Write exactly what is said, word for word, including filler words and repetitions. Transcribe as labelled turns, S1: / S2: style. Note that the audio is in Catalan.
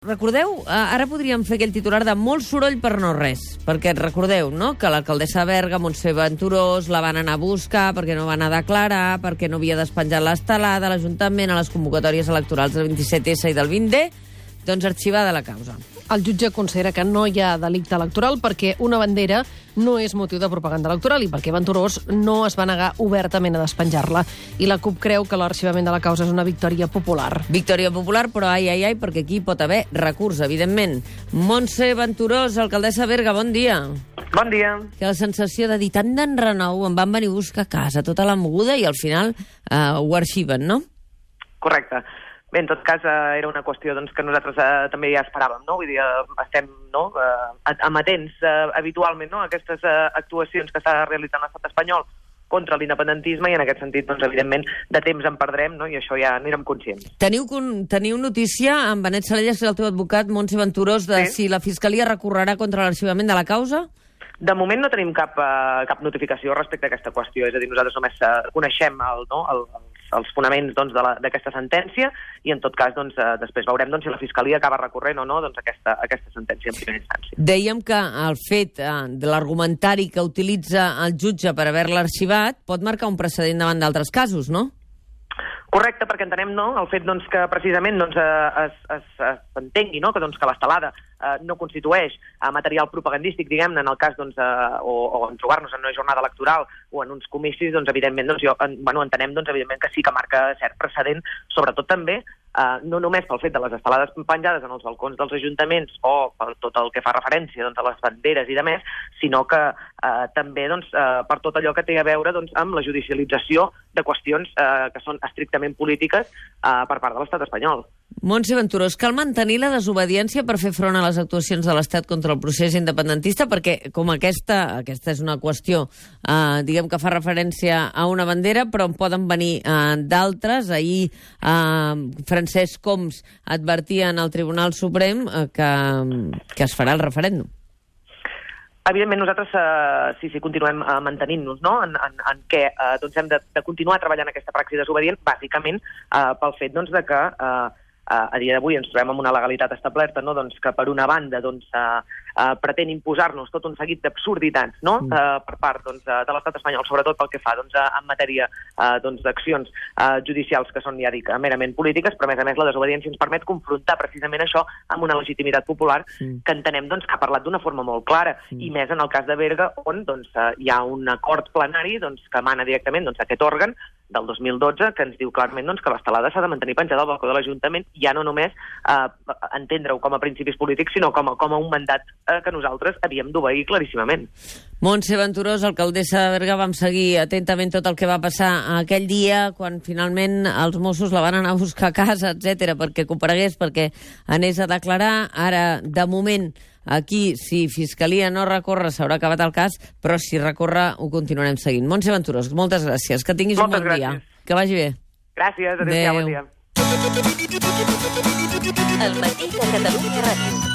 S1: Recordeu, ara podríem fer aquell titular de molt soroll per no res, perquè recordeu, no?, que l'alcaldessa de Berga, Montse Venturós, la van anar a buscar perquè no va anar a declarar, perquè no havia despenjat l'estelada a l'Ajuntament a les convocatòries electorals del vint-i-set essa i del vint de, doncs arxivada la causa.
S2: El jutge considera que no hi ha delicte electoral perquè una bandera no és motiu de propaganda electoral i perquè Venturós no es va negar obertament a despenjar-la. I la CUP creu que l'arxivament de la causa és una victòria popular.
S1: Victòria popular, però ai, ai, ai, perquè aquí pot haver recurs, evidentment. Montse Venturós, alcaldessa de Berga, bon dia.
S3: Bon dia.
S1: Que la sensació de dir tant d'enrenou, em van venir a buscar a casa, tota la moguda, i al final eh, ho arxiven, no?
S3: Correcte. Bé, en tot cas, eh, era una qüestió doncs, que nosaltres eh, també ja esperàvem, no? Vull dir, eh, estem no, eh, amatents eh, habitualment no, a aquestes eh, actuacions que està realitzant l'estat espanyol contra l'independentisme i en aquest sentit, doncs, evidentment, de temps en perdrem, no? I això ja n'érem conscients.
S1: Teniu, teniu notícia, amb Benet Salellas, el teu advocat, Montse Venturós, de sí? si la Fiscalia recorrerà contra l'arxivament de la causa?
S3: De moment no tenim cap, uh, cap notificació respecte a aquesta qüestió, és a dir, nosaltres només uh, coneixem el, no, el, els, els fonaments doncs, d'aquesta sentència i en tot cas doncs, uh, després veurem doncs, si la Fiscalia acaba recorrent o no doncs, aquesta, aquesta sentència en primera instància.
S1: Dèiem que el fet uh, de l'argumentari que utilitza el jutge per haver-la arxivat pot marcar un precedent davant d'altres casos, no?
S3: Correcte, perquè entenem no, el fet doncs, que precisament doncs, es, es, es entengui no, que, doncs, que l'estelada eh, no constitueix eh, material propagandístic, diguem-ne, en el cas doncs, eh, o, o en trobar-nos en una jornada electoral o en uns comicis, doncs, evidentment, doncs, jo, en, bueno, entenem doncs, evidentment que sí que marca cert precedent, sobretot també Uh, no només pel fet de les estelades penjades en els balcons dels ajuntaments o per tot el que fa referència doncs, a les banderes i demés, sinó que uh, també doncs, uh, per tot allò que té a veure doncs, amb la judicialització de qüestions uh, que són estrictament polítiques uh, per part de l'estat espanyol.
S1: Montse Venturós, cal mantenir la desobediència per fer front a les actuacions de l'Estat contra el procés independentista, perquè com aquesta, aquesta és una qüestió, eh, diguem que fa referència a una bandera, però en poden venir eh, d'altres. Ahir eh, Francesc Homs advertia al Tribunal Suprem eh, que, que es farà el referèndum.
S3: Evidentment, nosaltres eh, sí, sí, continuem eh, mantenint-nos no? en, en, en què eh, doncs hem de, de continuar treballant aquesta praxi desobedient, bàsicament eh, pel fet doncs, de que eh, a dia d'avui ens trobem amb una legalitat establerta no? doncs que per una banda doncs, uh, uh, pretén imposar-nos tot un seguit d'absurditats no? mm. uh, per part doncs, uh, de l'estat espanyol, sobretot pel que fa doncs, uh, en matèria uh, doncs, d'accions uh, judicials que són, ja dic, merament polítiques, però a més a més la desobediència ens permet confrontar precisament això amb una legitimitat popular mm. que entenem doncs, que ha parlat d'una forma molt clara, mm. i més en el cas de Berga, on doncs, uh, hi ha un acord plenari doncs, que emana directament doncs, aquest òrgan del dos mil dotze, que ens diu clarament doncs, que l'estelada s'ha de mantenir penjada al balcó de l'Ajuntament, ja no només eh, entendre-ho com a principis polítics, sinó com a, com a un mandat eh, que nosaltres havíem d'obeir claríssimament.
S1: Montse Venturós, alcaldessa de Berga, vam seguir atentament tot el que va passar aquell dia, quan finalment els Mossos la van anar a buscar a casa, etcètera, perquè comparegués, perquè anés a declarar. Ara, de moment, aquí, si Fiscalia no recorre, s'haurà acabat el cas, però si recorre, ho continuarem seguint. Montse Venturós, moltes gràcies. Que tinguis
S3: moltes
S1: un bon
S3: gràcies.
S1: dia. Que vagi bé.
S3: Gràcies, adéu-siau, bon dia.
S4: El matí de Catalunya Ràdio.